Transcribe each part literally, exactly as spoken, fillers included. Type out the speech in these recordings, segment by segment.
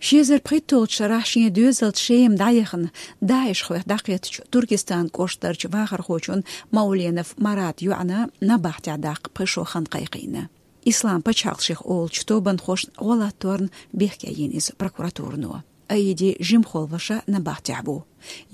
Ши эзар пхийтталгӀачу шарахь шен доьзалца Шема дӀаяхана ДАИШ-хойх дӀакхеттачу Туркестан кӀоштарчу вахархочун Мауленов Марат йоӀана набахтехь даккха пхи шо хан кхайкхийна. Ислам пачхьалкх шех олучу тобанхошна гӀо латторна бехке йина иза прокуратуро. Аиди жимахволу ваша набахтехь ву.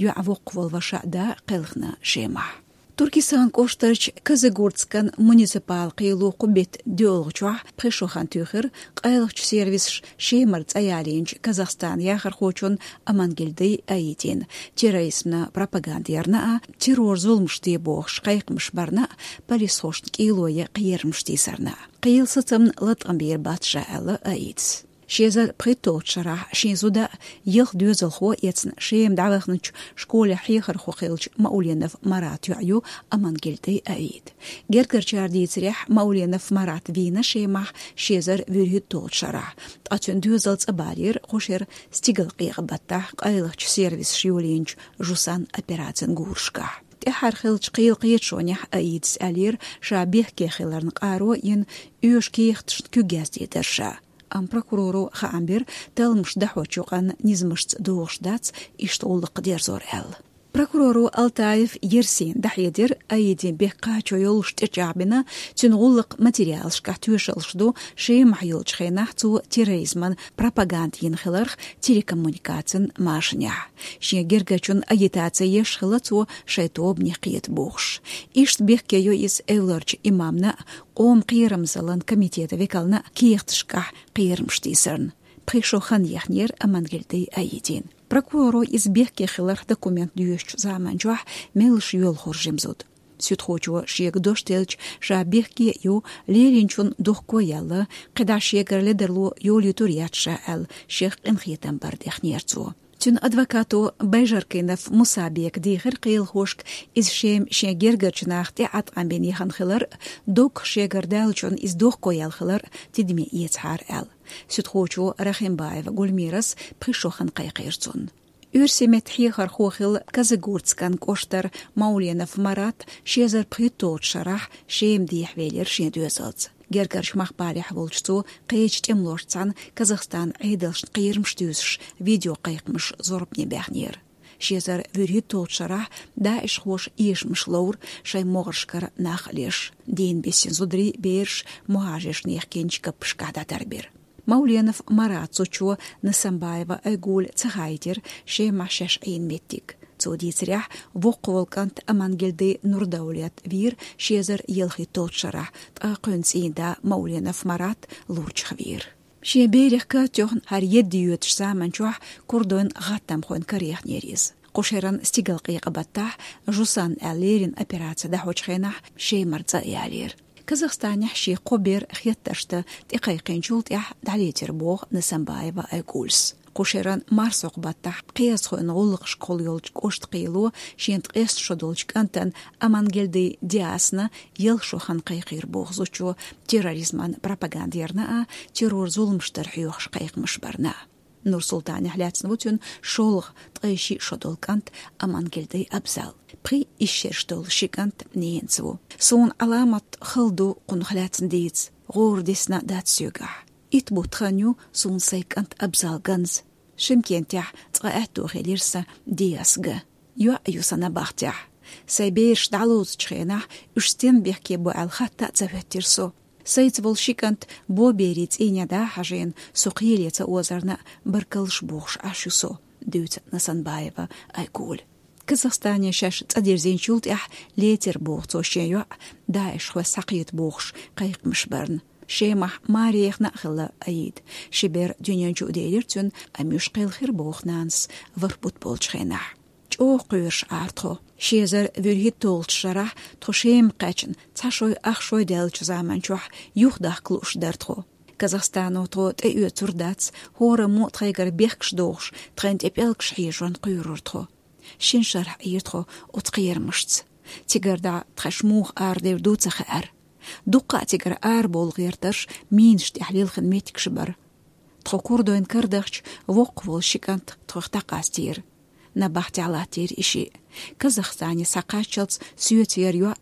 ЙоӀ воккхаволу ваша да кхелхина Шемахь. Туркестан кӀоштарчу Казыгуртскан муниципал кхело кху беттан доьалгӀачохь пхи шо хан туьйхира къайлахчу сервисаша Шемара цӀа ялийначу Казахстан яхархочун Амангельды Аидин терроризмна пропаганда ярна а, террор зуламаш де бохуш кхайкхамаш барна а, полисхошна кӀело ян кхерамаш тийсарна а. Кхелан сацамна латкъам бийр бац ша аьлла Аидас. Ши эзар пхийтталгӀачу шарахь шен зуда а, ялх доьзалхо а эцна Шема дӀавахначу школехь хьехархо хиллачу Мауленов Марат йоӀ ю Амангельды Аид. Гергарчара дийцарехь, Мауленов Марат вийна Шемахь ши эзар вуьрхӀитталгӀачу шарахь, ткъа цуьнан доьзал цӀа балийра кху шеран стигалкъекъа баттахь къайлахчу сервисаша йолийначу Жусан операцин гурашкахь. ТӀаьххьара хиллачу кхелан кхеташонехь Аидас аьллера, ша бехке хиларна къаро а йина, оьшу кехаташна куьг яздийр дара ша. Амма прокуроро хаам бира, талламаш дӀахьочу юкъанна низамашца догӀуш дац иштта гӀуллакх дерзор аьлла. Прокуроро Алтаев Ерсина дӀахьедира, Аидин бехк кхачо йолуш тӀечӀагӀбина, цуьнан гӀуллакхан материалашкахь тоьшаллаш ду, Шемахь йолчу хенахь цо терроризман пропаганда йина хиларх телекоммуникацин машанехь. Шен гергарчун агитаци еш хилла цо шайн тобанех кхета бохуш. Иштта бехке йо иза эвларчу имамна а, къоман кхерамзаллин комитетан векална а кехаташкахь кхерамаш тийсарна. Пхи шо хан ехнера Амангельды Аидин. Прокуроро иза бехке хиларх документ доьшучу заманчохь меллаша йоьлхура жима зуда. Суьдхочо шега дош делча, ша бехке а ю, лелийначунна дохко а яьлла, кхидӀа шегара ледарло йолуьйтур яц ша аьлла, шех къинхетам бар дехнера цо. Цуьнан адвокато Байжаркинов Мусабека дийхира кхелахошка, иза Шема шен гергарчу наха тӀе Ӏаткъам бина яхана хилар а, доггах шегара даьллачунна иза дохко яьлла хилар а тидаме эцахьара аьлла. Суьдхочо Рахимбаева Гульмирас пхи шо хан кхайкхийра цунна. Оьрсийн меттан хьехархо хилла Казыгуртскан кӀоштара Мауленов Марат ши эзар пхийтталгӀачу шарахь Шема дехьавелира шен доьзалца. Гергарчу махкахь балехь волчу цо кхечу тӀемалошца цхьаьна Казахстанан Ӏедалшна кхерамаш туьйсуш видеокхайкхамаш зорбане баьхнера. Ши эзар вуьрхӀитталгӀачу шарахь ДАИШ-хоша эшамаш ловра шайн могӀаршкара нах а леш. Дийна бисина зударий, бераш мухӀажаршна яхкинчу каппашкахь дӀатарбира. Мауленов Марат зудчо Насамбаева Айгуле ца хаийтира Шемахь шаьш Ӏийна меттиг. Цо дийцарехь, воккхаволу кӀант Амангельды Нурдавлет вийра ши эзар ялхитталгӀачу шарахь, ткъа кхуьнан цӀийнда Мауленов Марат лурчех вийра. Шен берех катоьхна хӀара едда йоьдучу заманчохь курдойн гӀаттамхойн караехнера иза. Кху шеран стигалкъекъа баттахь Жусан аьлла леррина операци дӀахьочу хенахь Шемара цӀа а ялийра. Казахстанехь шен кхо бер хеттаршна тӀекхайкхинчул тӀаьхьа дӀалецира боху Насамбаева Айгулес. Кху шеран марсхьокху баттахь кхиазхойн гӀуллакхашкахула йолчу кӀоштан кхело шен ткъеста шо долчу кӀантана Амангельды Диасна ялх шо хан кхайкхийра боху зудчо терроризман пропаганда ярна а, террор зуламаш дар хьоьхуш кхайкхамаш барна а. Нур-Султанехь лаьцна ву цуьнан шолгӀа ткъе шиъ шо долу кӀант Амангельды Абзал. Пхи исс шераш долу ши кӀант ненца ву. Суна Ӏаламат хала ду кхунах лаьцна дийца, гӀора дисна дац соьгахь. Итт бутт хан ю суна сайн кӀант Абзал ганза. Шимкентехь цкъа аьтто хилира сан Диас ган. ЙоӀ ю сан набахтехь. Сайн бераш дӀалоцучу хенахь уьш стенна бехке бу аьлла хатта а ца хӀоьттира со. Сайца волу ши кӀант боберийн цӀийне дӀа а хьажийна, со кхеле ца озарна а баркаллаш бохуш Ӏаш ю со, дуьйцу Насанбаева Айгуле. Казахстане шаьш цӀа дирзинчул тӀаьхьа лецира боху цо шен йоӀ, ДАИШ-хой схьакхета бохуш кхайкхамаш барна. Шемахь маре яхна а хилла Аид. Ши бер дуьнен чу а делира цуьнан, амма уьш кхелхира боху нанас ворхӀ бутт болчу хенахь. ЧӀогӀа кхоьруш Ӏара тхо. Ши эзар вуьрхӀитталгӀачу шарахь тхо Шема кхаьчна, цхьа шой, ах шой даьллачу заманчохь юхадахка лууш дара тхо. Казахстано тхо тӀеоьцур дац, хӀораммо а тхайгара бехкаш дохуш, тхайна тӀе пӀелгаш хьежорна кхоьрура тхо. Шина шарахь Ӏийра тхо оцу кхерамашца. Цигара дӀа тхаьш муха арадевр ду ца хаьара. Дуккха а цигара арабовла гӀертарш минаш тӀехь лилхина меттигаш бара. Тхо курдойн кара дахча, воккхаволу ши кӀант тхох дӀакъастийра. Набахтехь латтийра и шиъ. Казахстане схьакхаччалц соьца яра йоӀ,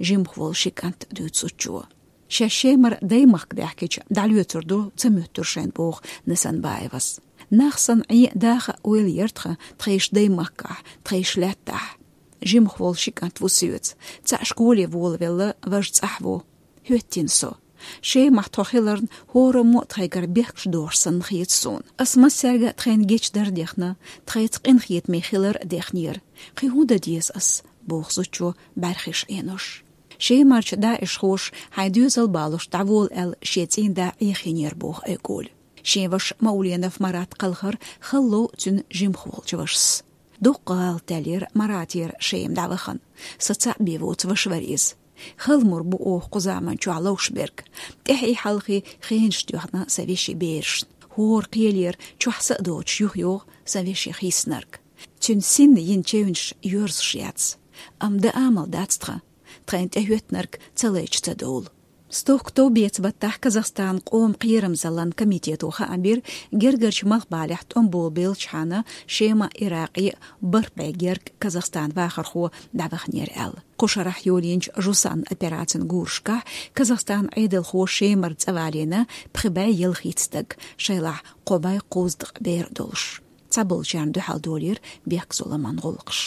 жимахволу ши кӀант, дуьйцу зудчо. Шаьш Шемара даймахка даьхкича, дӀалоьцур ду ца моьттура шайна боху Насанбаевас. Нах санна Ӏе даха а ойла яр тхан тхайш даймахкахь, тхайш лаьттахь. Жимах волу ши кӀант ву соьца. Цхьаъ школе волавелла, важа цӀахь ву. ХӀоьттина со. Шемахь тхо хиларна, хӀораммо а тхайгара бехкаш дохуш санна хета суна. Ас массаьрга а тхайна гечдар дехна, тхайца къинхетаме хилар а дехнера. Кхин хӀун дан деза ас, боху зудчо бӀаьрхиш Ӏенош. Шемарчу даишхоша хьайн доьзал балош дӀавола аьлла шен цӀийнда Ӏехийнера боху Айгуль. Шен ваша Мауленов Марат кхалхар хала лов цуьнан жимах волчу вашас. Дуккха гӀалат даьллера Маратера Шема дӀавахана. Сан цхьаъ бен воцу ваша вара иза. Хала мур бу оха кху заман чохь ловш берг. ТӀаьхьий хьалхий хенаш тоьхна сан вешин берашна. ХӀора кхелера чохь са а доцуш юха йогӀу сан вешин хийснарг. Цуьнан синна йина чевнаш йоьрзуш яц. Амма дан амал дац тхан. Тхайна тӀехӀоьттинарг ца лайча ца довла. Стохка товбеца баттахь Казахстанан къоман кхерамзаллин комитето хаам бира, гергарчу малхбалехь тӀом болабеллачхьана Шема Иракъе бархӀ бӀе герга Казахстан вахархо дӀаваханера аьлла. Кху шарахь йолийначу Жусан операцин гурашкахь Казахстан Ӏедалхо Шемара цӀа валийна пхи бӀе ялхитта стаг, шайлахь кхо бӀе кхузткъа бер а долуш. Цхьаболчарна дуьхьал долийра бехк-зуламан гӀуллакхаш.